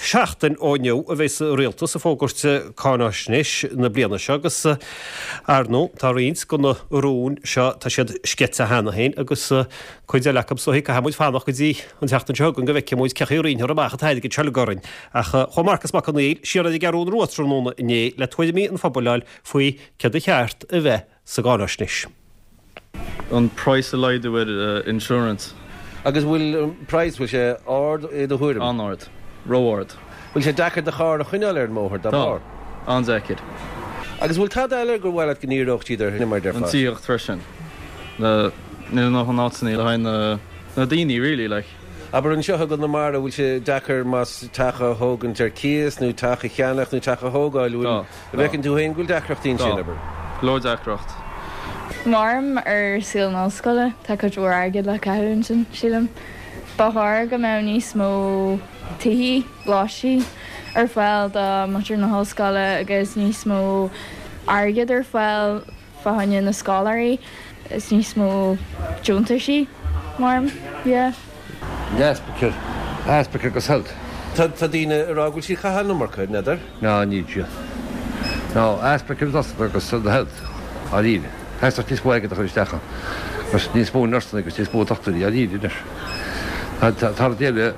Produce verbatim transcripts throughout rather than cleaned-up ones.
Seachtain ó inniu a bheas an rialtas ag fógairt cáinaisnéis na bliana seo agus ar ndóigh tá roinnt de na rúin seo tá siad sceite cheana féin agus cuid eile acu so caithfidh muid fanacht go dtí an tseachtain seo chugainn go bhfeicfidh muid cé chaoi a roinnfear amach an t-airgead seo le orainn. Ach chuaigh Marcas Mac Conghail siar ar an gCeathrú Rua tráthnóna inné le tuairimí an phobail a fháil faoi céard ba cheart a bheith sa gcáinaisnéis. An price a laghdú ar uh, insurance. Agus bhfuil price bhfuil sé ard i do thuairim? An-ard, ró-ard. Bhfuil sé deacair do charr a choinneáil ar an mbóthar dá bharr? An-deacair. Agus bhfuil tada eile gur mhaith leat go ndíreodh siad ar mar An tithíocht freisin. Na níl na háiteanna le haghaidh na na daoine really like. Aber anseo i gConamara bhfuil sé deacair más teach a thógaint ar cíos nó teach a cheannach nó teach a thógáil bhfuil bhfeiceann tú féin go bhfuil deacrachtaí sin aber. Leor deacracht. Maram ar saol na scoile tá cuid mhór airgead le caitheamh ansin sílim. Ba chóir go mbeadh níos mó tithe lóistín ar fáil do mhuintir na hollscoile agus níos mó airgead ar fáil fá choinne na scoláirí is níos mó deontaisí maram yeah. Easpa easpa agus health. Tá daoine ag rá go bhfuil siad ag caitheamh an iomarca n'fheadar? Ná ní siad. Ná easpa agus the health dáiríre. Theastódh níos mó airgid a chur isteach agus níos mó nursanna agus níos mó dochtúirí dáiríre anois. Tá déile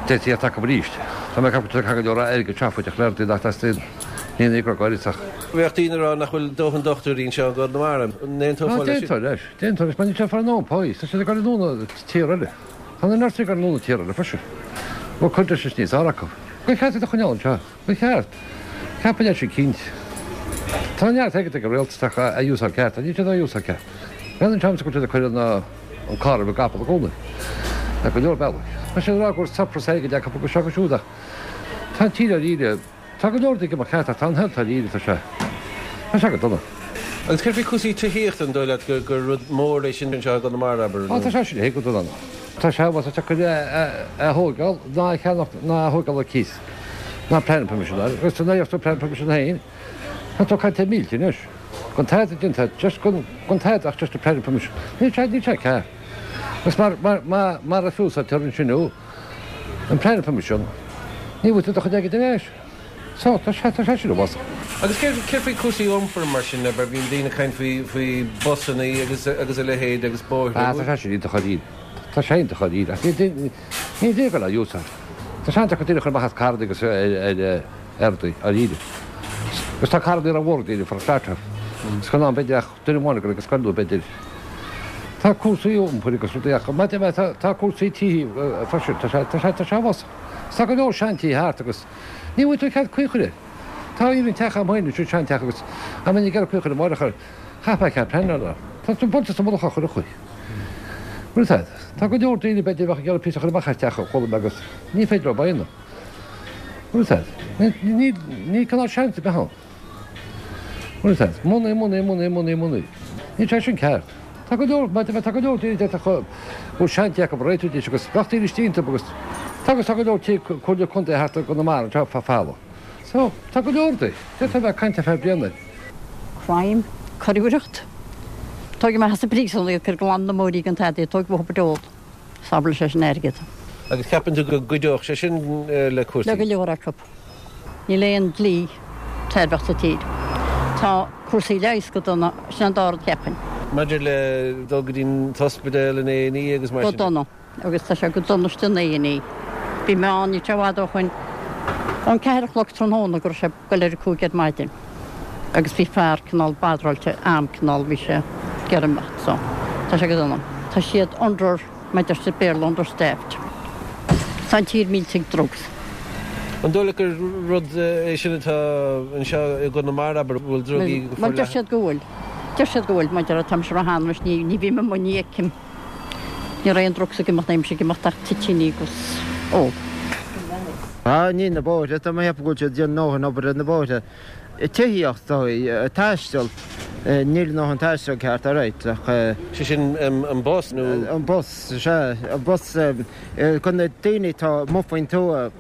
de ta arís. Tá mé cap go leor airgead seafóideach le nach teastaíonn ní go gáiritach. Bheadh daoine ag rá nach bhfuil dóthain dochtúirí anseo i gConamara. Déantar leis, déantar leis, mar ní far nó pá, tá sé go núna tír eile. Tá na nursaí go núna tír eile freisin. Bhfuil conditions níos fearr acu. Ba cheart a choinneáil anseo, ba cheart. Ceapann sé cinnte. Tá neart airgead ag an rialtas a úsáid ceart, ní siad a úsáid ceart. Bhean an seans go bhfuil cuir na an car a gapal a gcónaí. Tá go leor bealaí. Tá sé rá gur surplus airgead acu go seo go siúdach. Tá tír dáiríre, tá go leor ag ceart tá an health dáiríre tá sé. Tá sé go dona. Agus céard faoi chúrsaí tithíochta an dóigh leat gur gur rud mór é sin anseo i gConamara aber? Á tá sé sin go dona. Tá sé tá sé chu a thógáil ná cheannach ná thógáil ar cíos. Ná planning permission agus tá náocht planning permission féin. Tá tú caite mílte anois. Gan tada déanta just gan gan tada ach just a planning permission. Ní sé ní sé ceart. Agus mar mar mar mar a fiúsáidtear ansin an planning permission ní bhfuil tú do chuid airgid ar ais. So tá sé tá sé sin bhas. Agus céard céard faoi cúrsaí iompair mar sin aber bíonn daoine ag caint faoi faoi busanna agus agus a leithéid agus bóithre. Ah, tá sé sin iontach dáiríre. Tá sé iontach dáiríre. Ach ní ní dé go le úsáid. Tá sé go dtí chun amach as carranna agus ar ar dáiríre. Agus tá carranna ar mhór daoine for starter. Is chun an b'fhéidir ach duine amháin agus scoil b'fhéidir. Tá cúrsaí iompair agus rudaí ach má tá tá cúrsaí tí freisin tá sé tá sé tá sé bhas. Tá go leor seantithe thart agus ní bhfuil tú cead caoi a chur air. Tá even teach am féin sin seanteach agus a mé gear caoi a chur amárach chaithfeá cead pleanála. Tá tú buailte sa mullach a chur a chuí. Bhuel tá tá go leor daoine b'fhéidir bheadh ag iarraidh píosa a chur amach as teach a chuala mé agus ní féidir leo a dhéanamh. Bhuel tá ní ní cineál seans a bheith ann. Bhuel tá money money money money money. Ní sé sin ceart. Tá go leor tá go leor daoine de go seanteach a réitiú agus gach daoine istigh agus tá agus tá go leor tí comhairle contae thart i gConamara tá fa fála. So tá go leor de, de tá bheith caint fe bliana. Crime, coiriúlacht. Tóg me has príosún gur glan na móí an tadí tóg bh dó. Sábháil sé sin airgead. Agus ceapann tú go gcuideodh sé sin le cúrsaí? Le go leor acu. Níl aon dlí tairbheach sa tír. Tá cúrsaí leighis go dona sin an dara rud cheapfainn. Maidir le dul go dtí an t-ospidéal in A&E agus mar Go sin? dona agus tá sé go dona san A&E. Bhí mé ann ní i bhfad ó shin ón ceathair a chlog tráthnóna go raibh sé go léir a cúig ar maidin. Agus bhí fear cineál badráilte am cineál bhí sé gearmach so tá sé go dona. Tá siad under maidir sa Béarla understaffed. Tá an tír millte ag drugs. An dóigh leat gur rud é sin atá anseo i gConamara aber bhfuil drugaí go Mar deir siad go bhfuil. Deir siad go bhfuil maidir tá sé hanmas ní ní bhí mo ní cim. Ní raon drugs ag imeacht aimse ag imeacht ach toitíní agus ól. Á ní na bóithre tá mé go bhfuil déan nóthain obair na bóithre. Tithíocht taisteal níl dóthain taisteal ceart ar ach Sé sin an bus nó an bus sé an bus chun na daoine tá amuigh faoin tuath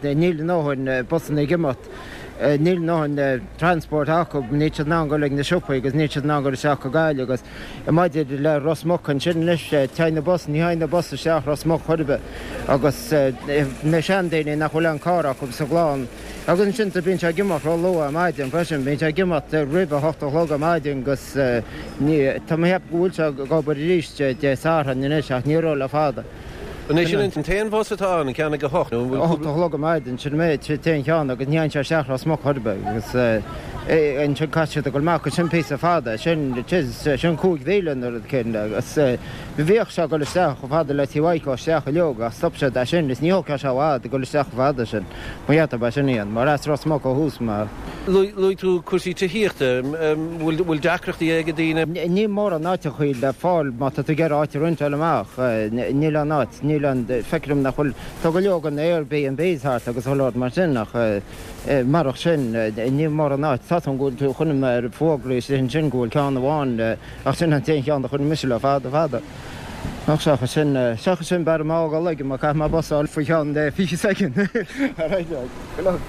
níl dóthain busanna ag imeacht. Níl a ndóthain transport acu, níl siad in ann dul ag na siopaí agus níl siad in ann dul isteach go Gaillimh agus maidir le Ros Muc ansin anois, téann na bus, ní théann na bus isteach Ros Muc chor ar bith agus na seandaoine nach bhfuil aon carr acu sa gclann agus ansin tá bíonn sé ag imeacht ró-luath ar maidin freisin, bíonn sé ag imeacht roimh a hocht a chlog ar maidin agus ní, tá mé ag ceapadh go bhfuil sé ag obair arís Dé Sathairn anois ach ní raibh le fada. An é sin an t-aon bhus atá ann, an ceann ag a hocht? A hocht a chlog ar maidin, sin an méid, sin an t-aon cheann agus ní théann sé isteach Ros Muc chor ar bith agus ansin caithfidh siad a dhul amach agus sin píosa fada, sin, sin cúig mhíle nó rud éicint agus bhíodh sé ag dul isteach chomh fada le Tí Mhaidhc isteach uileag ach stop siad é sin is ní thógfadh sé i bhfad a dhul isteach chomh fada sin. Mo gheata ba sin iad, mar as Ros Muc ó thús mar. Luaigh tú cúrsaí tithíochta, bhfuil deacrachtaí ag daoine? Níl mórán áiteachaí le fáil má tá tú ag iarraidh áit a rentáil amach. Níl aon áit, níl aon, feictear dom nach bhfuil, tá go leor den Airbnbs thart agus chuile shórt mar sin ach marach sin níl mórán áit. Tá go bhfuil tú, chonaic mé ar fógraí istigh ansin go bhfuil ceann amháin ach sin an t-aon cheann a chonaic mise le fada fada. Ach seachas sin, seachas sin b'fhearr dom a fhágáil aige mar caithfidh mé bus a fháil faoi cheann fiche soicind. Alright, good luck.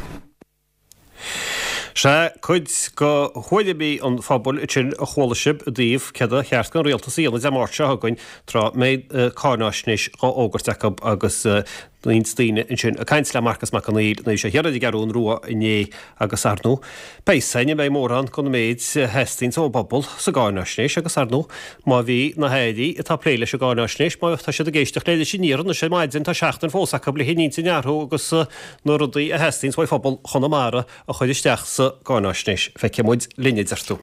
Sea, cuid de thuairimí an phobail ansin a chuala sibh i dtaobh céard a cheart don rialtas a dhéanamh Dé Máirt seo chugainn tráth a mbeidh cáináisnéis dhá fhógairt acu agus roinnt daoine ansin ag caint le Marcas Mac Conghail nuair a bhí sé thiar ar an gCeathrún Rua inné agus ar ndóigh beidh a fhios againn an mbeidh mórán den méid a theastaíonns ón bpobal sa gcáináisnéis agus ar ndóigh má bhí na hairí atá ag plé leis an gcáináisnéis má tá siad ag éisteacht leis aniar anois ar maidin tá seachtain fós acu le hintinn a athrú agus na rudaí a theastaíonns uaidh phobal Chonamara a chur isteach sa gcáináisnéis. Feicfidh muid linn a deir tú.